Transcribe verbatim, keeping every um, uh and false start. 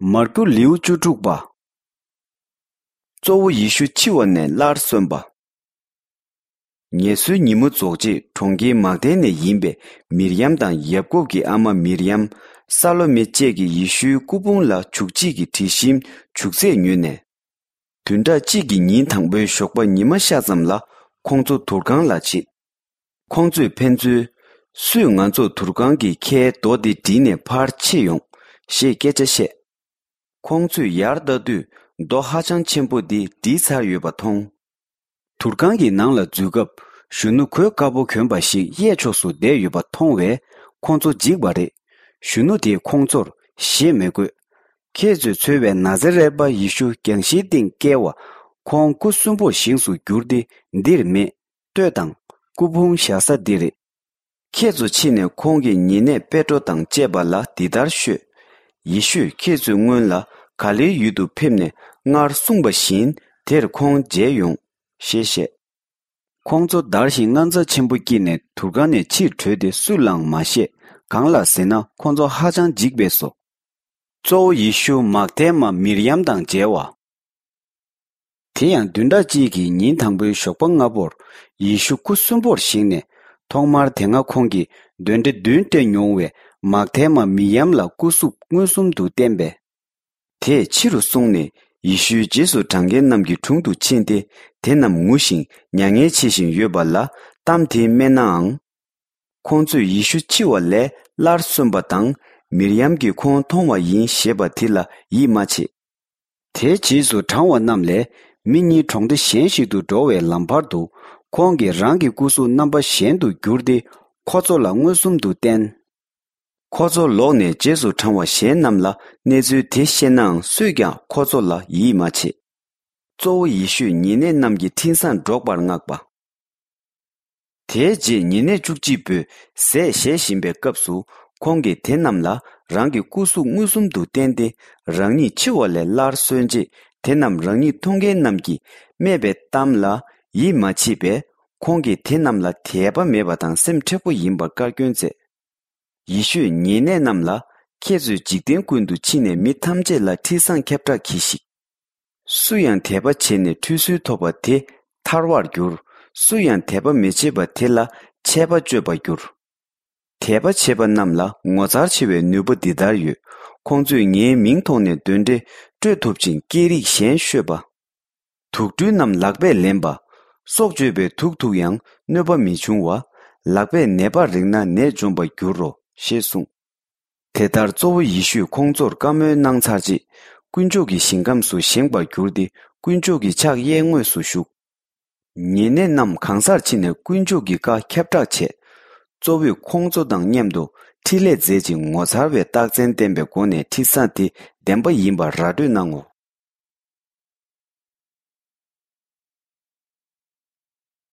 མར་ཀུ། ལེའུ་བཅུ་དྲུག་པ། གཙོ་བོ་ཡེ་ཤུ་འཆི་བ་ནས་སླར་གསོན་པ། ངལ་གསོའི་ཉིན་མོ་རྫོགས་རྗེས། གྲོང་ཁྱེར་མག་དལ་ནས་ཡིན་པའི་མིར་ཡམ་དང་ཡབ་ཀོབ་ཀྱི་ཨ་མ་མིར་ཡམ། ས་ལོ་མེ་བཅས་ཀྱིས་ཡེ་ཤུའི་སྐུ་ཕུང་ལ་བྱུག་བྱེད་ཀྱི་དྲི་ཞིམ་བྱུག་རྫས་ཉོས་ནས། བདུན་ཕྲག་གཅིག་གི་ཉིན་དང་པོའི་ཞོགས་པ་ཉི་མ་ཤར་ཙམ་ལ་ཁོང་ཚོ་དུར་ཁང་ལ་ཕྱིན། ཁོང་ཚོས་ཕན་ཚུན། སུས་ང་ཚོ་དུར་ཁང་གི་ཁའི་རྡོ་འདི་བསྒྲིལ་ནས་ཕར་ཕྱེ་ཡོང་ཞེས་སྐད་ཆ་བཤད། ཁོང་ཚོས་ཡར་ལྟ་དུས་རྡོ་ཧ་ཅང་ཆེན་པོ་འདི་བསྒྲིལ་ཚར་ཡོད་པ་མཐོང་། དུར་ཁང་གི་ནང་ལ་འཛུལ་སྐབས་གཞོན་ནུ་གོས་དཀར་པོ་གྱོན་པ་ཞིག་གཡས་ཕྱོགས་སུ་བསྡད་ཡོད་པ་མཐོང་བས་ཁོང་ཚོ་འཇིགས་པ་རེད། གཞོན་ནུ་དེས་ཁོང་ཚོར་ཞེད་མི་དགོས། ཁྱེད་ཚོས་འཚོལ་བའི་ན་ཛ་རད་པ་ཡེ་ཤུ་རྒྱང་ཤིང་སྟེང་བཀལ་བ། ཁོང་སྐུ་གསོན་པོར་བཞེངས་སུ་གྱུར་ཏེ་འདིར་མེད། ལྟོས་དང་། སྐུ་ཕུང་བཞག་ས་འདི་རེད། ཁྱེད་ཚོ་ཕྱིན་ནས་ཁོང་གི་ཉེ་གནས་པེ་ཏྲོ་དང་བཅས་པ་ལ་འདི་ལྟར་ཤོད། ཡེ་ཤུས་ཁྱེད་ཚོའི་སྔོན་ལ་ག་ལེའི་ཡུལ་དུ་ཕེབས་ནས་སྔར་གསུངས་པ་བཞིན་དེར་ཁོང་མཇལ་ཡོང་ཞེས་བཤད། ཁོང་ཚོ་འདར་ཞིང་དངངས་འཚབ་ཆེན་པོ་སྐྱེས་ནས་དུར་ཁང་ནས་ཕྱིར་བྲོས་ཏེ་སུ་ལའང་མ་བཤད། གང་ལགས་ཟེར་ན་ཁོང་ཚོ་ཧ་ཅང་འཇིགས་པས་སོ། གཙོ་བོ་ཡེ་ཤུ་མག་དལ་མ་མིར་ཡམ་དང་མཇལ་བ། དེ་ཡང་བདུན་ཕྲག་གཅིག་གི་ཉིན་དང་པོའི་ཞོགས་པ་སྔ་པོར་ཡེ་ཤུ་སྐུ་གསོན་པོར་བཞེངས་ནས། ཐོག་མར་དེ་སྔ་ཁོང་གིས་གདོན་འདྲེ་བདུན་བསྐྲད་མྱོང་བའི་མག་དལ་མ་མིར་ཡམ་ལ་སྐུ་གཟུགས་མངོན་སུམ་དུ་བསྟན་པས། དེས་ཕྱི་རུ་སོང་ནས་ཡེ་ཤུའི་རྗེས་སུ་འབྲང་མཁན་རྣམས་ཀྱི་དྲུང་དུ་ཕྱིན་ཏེ། དེ་རྣམས་ངུ་ཞིང་མྱ་ངན་བྱེད་བཞིན་ཡོད་པ་ལ་གཏམ་དེ་སྨྲས་ནའང་། ཁོང་ཚོས་ཡེ་ཤུ་འཆི་བ་ལས་སླར་གསོན་པ་དང་། མིར་ཡམ་གྱིས་ཁོང་མཐོང་བ་ཡིན་ཞེས་པ་དེ་ལ་ཡིད་མ་ཆེས། དེའི་རྗེས་སུ་འབྲང་བ་རྣམས་ལས་མི་གཉིས་གྲོང་སྡེ་གཞན་ཞིག་ཏུ་འགྲོ་བའི་ལམ་བར་དུ། ཁོང་གིས་རང་གི་སྐུ་གཟུགས་རྣམ་པ་གཞན་དུ་བསྒྱུར་ཏེ། ཁོ་ཚོ་ལ་མངོན་སུམ་དུ་བསྟན། ཁོ་ཚོ་ལོག་ནས་རྗེས་སུ་འབྲང་བ་གཞན་རྣམས་ལ་གནས་ཚུལ་དེ་བཤད་ནའང་སུས་ཀྱང་ཁོ་ཚོ་ལ་ཡིད་མ་ཆེས། གཙོ་བོ་ཡེ་ཤུས་ཉེ་གནས་རྣམས་ཀྱི་འཕྲིན་བཟང་སྒྲོག་པར་མངགས་པ། དེའི་རྗེས་ཉེ་གནས་བཅུ་གཅིག་པོས་ཟས་བཞེས་བཞིན་པའི་སྐབས་སུ། ཁོང་གིས་དེ་རྣམས་ལ་རང་གི་སྐུ་གཟུགས་མངོན་སུམ་དུ་བསྟན་ཏེ། རང་ཉིད་འཆི་བ་ལས་སླར་གསོན་རྗེས། དེ་རྣམས་རང་ཉིད་མཐོང་མཁན་རྣམས་ཀྱིས་སྨྲས་པའི་གཏམ་ལ་ཡིད་མ་ཆེས་པས། ཁོང་གིས་དེ་རྣམས་ལ་དད་པ་མེད་པ་དང་སེམས་མཁྲེགས་པོ་ཡིན་པར་བཀའ་བཀྱོན་མཛད། ཡེ་ཤུས་ཉེ་གནས་རྣམས་ལ། ཁྱེད་ཚོས་འཇིག་རྟེན་ཀུན་ཏུ་ཕྱིན་ནས་མི་ཐམས་ཅད་ལ་འཕྲིན་བཟང་ཁྱབ་བསྒྲགས་གྱིས་ཤིག། སུ་ཡང་དད་པ་བྱས་ནས་ཁྲུས་གསོལ་ཐོབ་པ་དེ་ཐར་བར་འགྱུར། སུ་ཡང་དད་པ་མི་བྱེད་པ་དེ་ལ་ཆད་པ་གཅོད་པར་འགྱུར། དད་པ་བྱེད་པ་རྣམས་ལ་ངོ་མཚར་ཆེ་བའི་ནུས་པ་འདི་ལྟར་ཡོད། ཁོང་ཚོས་ངའི་མིང་ཐོག་ནས་གདོན་འདྲེ་སྐྲོད་ཐུབ་ཅིང་། སྐད་རིགས་གཞན་ཤོད་པ། དུག་སྦྲུལ་རྣམས་ལག་པས་ལེན་པ། སྲོག་གཅོད་པའི་དུག་འཐུང་ཡང་གནོད་པ་མི་འབྱུང་བ། ལག་པས་ནད་པར་རེག་ན་ནད་འཇོམས་པར་འགྱུར་རོ། ཞེས་གསུངས། དེ་ལྟར་གཙོ་བོ་ཡེ་ཤུས་ཁོང་ཚོར་བཀའ་མོལ་གནང་ཚར་རྗེས། དཀོན་མཆོག་གི་ཞིང་ཁམས་སུ་བཞེངས་པར་གྱུར་ཏེ། དཀོན་མཆོག་གི་ཕྱག་གཡས་ངོས་སུ་བཞུགས། ཉེ་གནས་རྣམས་གང་སར་ཕྱིན་ནས་དཀོན་མཆོག་གི་བཀའ་ཁྱབ་བསྒྲགས་བྱས། གཙོ་བོས་ཁོང་ཚོ་དང་མཉམ་དུ་འཕྲིན་ལས་མཛད་ཅིང་། ངོ་མཚར་བའི་རྟགས་མཚན་བསྟན་པའི་སྒོ་ནས་འཕྲིན་བཟང་དེ་བདེན་པ་ཡིན་པར་ར་སྤྲོད་གནང་ངོ་།